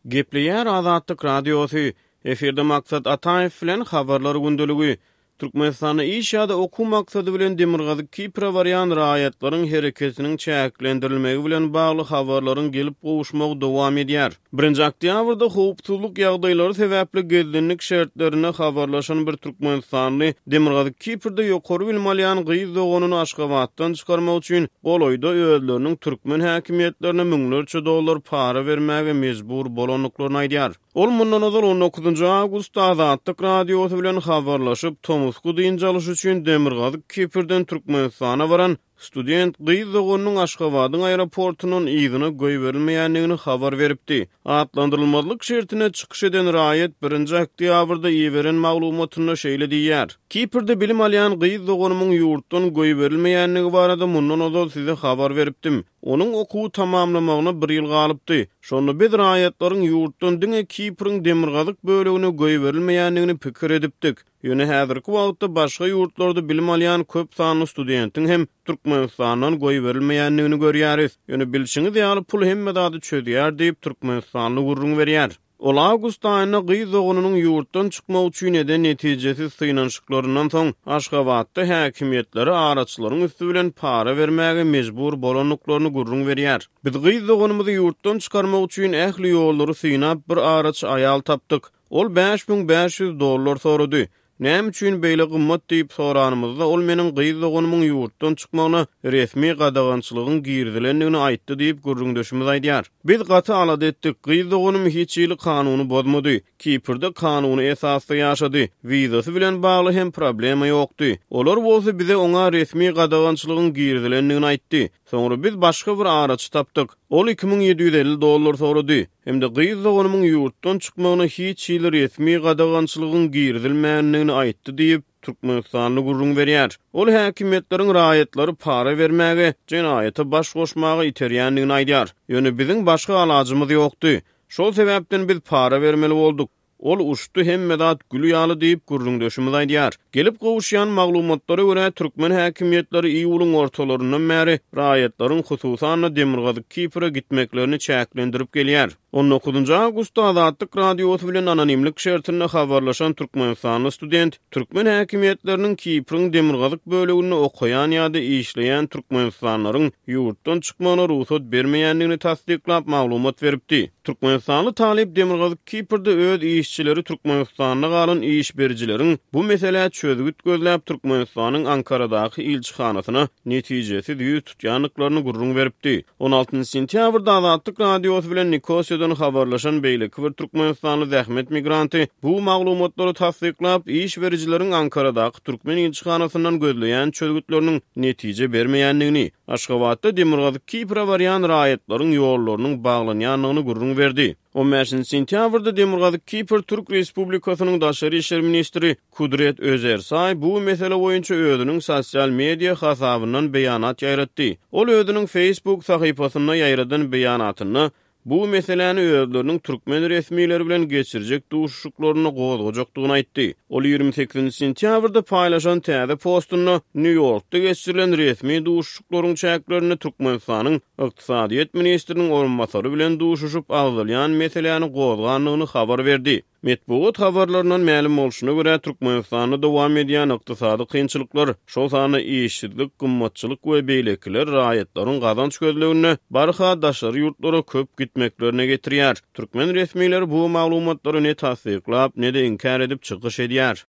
Gepleýär Azatlyk Radiosy, Efirde Maksat Ataýew bilen Habarlar gündeligi. Türkmenistanda iş ýa-da okuw maksady bilen Demirgazyk Kipre barýan raýatlaryň hereketiniň çäklendirilmegi bilen bagly habarlaryň gelip gowuşmagy dowam edýär. Birinji oktýabrda howpsuzlyk ýagdaýlary sebäpli gizlinlik şertlerinde habarlaşan bir türkmenistanly Demirgazyk Kiprde ýokary bilim alýan gyz doganyny Aşgabatdan çykarmak üçin golaýda özleriniň türkmen häkimiýetlerine müňlerçe dollar para bermäge mejbur bolandyklaryny aýdýar. Ol mundan ozal on dokuzynjy awgustda Azatlyk Radiosy bilen habarlaşyp, tomusky dynç alyş üçin Demirgazyk Kiprden Türkmenistana baran student gyz doganynyň Aşgabadyň aeroportundan yzyna goýberilmeýändigini habar beripdi. Atlandyrylmazlyk şertinde çykyş eden raýat birinji oktýabrda iberen maglumatynda şeýle diýýär, Kiprde bilim alýan gyz doganymyň ýurtdan goýberilmeýändigi barada mundan ozal size habar beripdim. Onuň okuwy tamamlamagyna bir ýyl galypdy. Şonda biz raýatlaryň ýurtdan diňe Kipriň demirgazyk bölegine goýberilmeýändigini pikir edipdik. Ýöne häzirki wagtda başga ýurtlarda bilim alýan köp sanly studentiň hem Türkmenistandan goýberilmeýändigini görýäris. Ýöne bilşiňiz ýaly pul hemme zady çözýär diýip, türkmenistanly gürrüň berýär. Ol awgust aýynda gyz doganynyň ýurtdan çykmak üçin eden netijesiz synanyşyklaryndan soň, Aşgabatda häkimiýetlere araçylaryň üsti bilen para bermäge mejbur bolandyklaryny gürrüň berýär. Biz gyz doganymyzy ýurtdan çykarmak üçin ähli ýollary synap, bir araçy aýal tapdyk. Ol 5500 dollar sorady. Näme üçin beýle gymmat diýip soranymyzda, ol meniň gyz doganymyň ýurtdan çykmagyna resmi gadagançylygyň girizilendigini aýtdy diýip, gürrüňdeşimiz aýdýar. Biz gaty alada etdik. Gyz doganym hiç hili kanuny bozmady. Kiprde kanuny esasda ýaşady. Wizasy bilen bagly hem problema ýokdy. Olar bolsa bize oňa resmi gadagançylygyň girizilendigini aýtdy. Soňra biz başga bir araçy tapdyk. Ol 2750 dollar sorady hem-de gyz doganymyň ýurtdan çykmagyna hiç hili resmi gadagançylygyň girizilmändigini aýtdy diýip, türkmenistanly gürrüň berýär. Ol häkimiýetleriň raýatlary para bermäge, jenaýata baş goşmaga iterýändigini aýdýar. Ýöne biziň başga alajymyz ýokdy. Şol sebäpden biz para bermeli bolduk. Ol uçdy, hemme zat gül ýaly diýip, gürrüňdeşimiz aýdýar. Gelip gowuşýan maglumatlara görä, türkmen häkimiýetleri iýulyň ortalaryndan bäri raýatlaryň, hususan-da, Demirgazyk Kipre gitmeklerini çäklendirip gelýär. On dokuzynjy awgustda Azatlyk Radiosy bilen anonimlik şertinde habarlaşan türkmenistanly student türkmen häkimiýetleriniň Kipriň demirgazyk böleginde okaýan ýa-da işleýän türkmenistanlylaryň ýurtdan çykmagyna rugsat bermeýändigini tassyklap maglumat beripdi. Türkmenistanly talyp Demirgazyk Kiprde öz işçileri Türkmenistanda galan iş berijileriň bu meselä çözgüt gözläp Türkmenistanyň Ankaradaky ilçihanasyna netijesiz ýüz tutýandyklaryny gürrüň beripdi. On altynjy sentýabrda Azatlyk Radiosy bilen Nikosiýadan habarlaşan beýleki bir türkmenistanly zähmet migranty bu maglumatlary tassyklap, iş berijileriň Ankaradaky türkmen ilçihanasyndan gözleýän çözgütleriniň netije bermeýändigini, Aşgabatda Demirgazyk Kipre barýan raýatlaryň ýollarynyň baglanýandygyny gürrüň berdi. On bäşinji sentýabrda Demirgazyk Kipr Türk Respublikasynyň daşary işler ministri Kudret Özersaý bu mesele boýunça özüniň sosial media hasabyndan beýanat ýaýratdy. Ol özüniň Facebook sahypasynda ýaýradan beýanatynda bu meseläni özleriniň türkmen resmileri bilen geçirjek duşuşyklarynda gozgajakdygyny aýtdy. Ol 28 sentýabrda paýlaşan täze postunda Nýu-Ýorkda geçirilen resmi duşuşyklaryň çäklerinde Türkmenistanyň ykdysadyýet ministriniň orunbasary bilen duşuşyp agzalýan meseläni gozgandygyny habar berdi. Metbugat habarlaryndan mälim bolşuna görä, Türkmenistanda dowam edýän ykdysady kynçylyklar, şol sanda işsizlik, gymmatçylyk we beýlekiler raýatlaryň gazanç gözleginde barha daşary ýurtlara köp gitmeklerine getirýär. Türkmen resmileri bu maglumatlary ne tassyklap, ne-de inkär edip çykyş edýär.